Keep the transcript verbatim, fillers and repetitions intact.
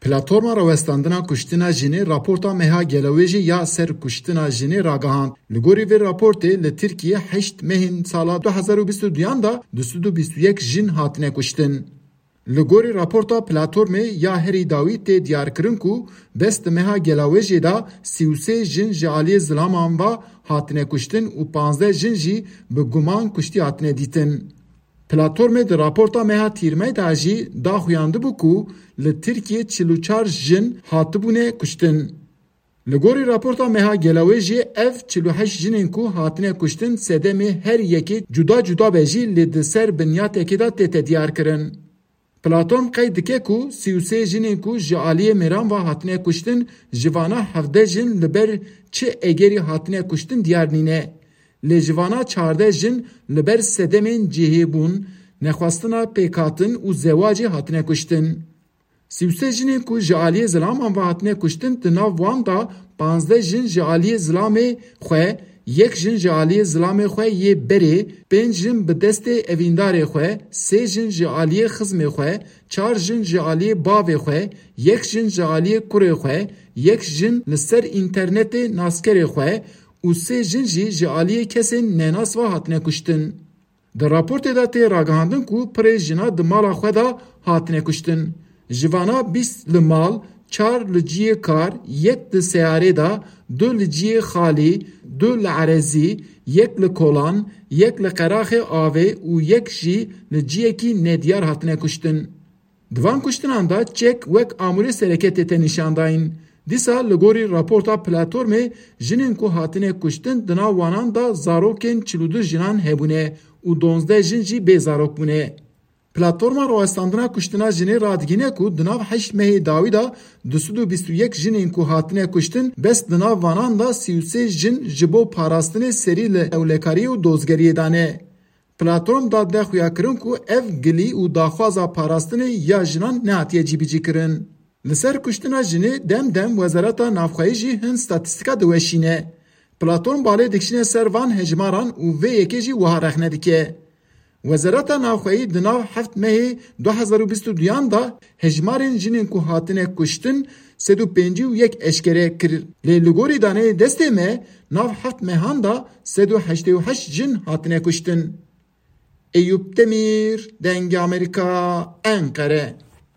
Platforma Rawestandina Kuştina Jinê raporta meha gelawêjê ya ser kuştina jinê ragihand. Li gorî vê raportê li Tirkiyê heşt mehên sala du hezar û bîst û duyan de du sed û bîst û yek jin hatine kuştin. Li gorî raporta platformê ya herî dawî tê diyarkirin ku bes di meha gelawêjê de sî û sê jin ji aliyê zilaman ve hatine kuştin û panzdeh jin jî bi guman kuştî hatine dîtin. Platformê di raporta meha tîrmey de jî daxuyandibû ku li Tirkiyê çil û çar jin hatibûne kuştin. Li gorî raporta meha gelawêjê ev çil û heşt jinên ku hatine kuştin sedemê her yekê cuda cuda be jî lê di ser binyatekê de tête diyarkirin. Platform qeyd dike ku sî û sê jinên ku ji aliyê mêran ve hatine kuştin, ji vana hevdeh jin li ber çi egerî hatine kuştin diyar nîne. Lê ji vana çardeh jin li ber sedemên cihêbûn, nexwestina pêkhatin û zewacê hatine kuştin. Sî û sê jinên ku ji aliyê zilaman ve hatine kuştin, di nav wan de panzdeh jin ji aliyê zilamê xwe, yek jin ji aliyê zilamê xwe yê berê, pênc jin bi destê evîndarê xwe, sê jin ji aliyê xizmê xwe, çar jin ji aliyê bavê xwe, yek jin ji aliyê kurê xwe, yek jin li ser înternetê naskerê xwe û sê jin jî ji aliyê kesên nenas ve hatine kuştin. Di raportê de tê ragihandin ku pirê jina di mala xwe de hatine kuştin. Ji vana bîst li mal, çar li cihê kar, yek di seyarê de, du li cihê xalî, du li erezî, yek li kolan, yek li qeraxê avê û yek jî li cihekî nediyar hatine kuştin. Di van kuştinan de çek wek amûrê sereke tête nîşandayîn. Dîsa li gorî raporta platformê, jinên ku hatine kuştin di nav wanan de zarokên çil û du jinan hebûne û donzdeh jin jî bê zarok bûne. Platforma Rawestandina Kuştina Jinê radigîne ku di nav heşt mehê dawî de du sed û bîst û yek jinên ku hatine kuştin, bes di nav vanan de sî û sê jin ji bo parastinê serî li ewlekariyê û dozgeriyê de ne. Platform da de xuyakirin ku ev gilî û daxwaza parastinê ya jinan nehatiye cîbicîkirin. Li ser kuştina jinê dem dem Wezareta Navxweyî jî hin statîstîka diweşîne. Platform balê dikişîne ser van hejmaran û vê yekê jî wiha rexne dike. Wezareta Navxweyî di nav heft mehê du hezar û bîst û duyan de hejmarên jinên ku hatine kuştin sed û pêncî û yek eşkere kir. Lê li gorî daneyê destê me nav heft mehan de sed û heştê û heşt jin hatine kuştin. Eyûp Demîr, Dengê Amerîka, Enqere.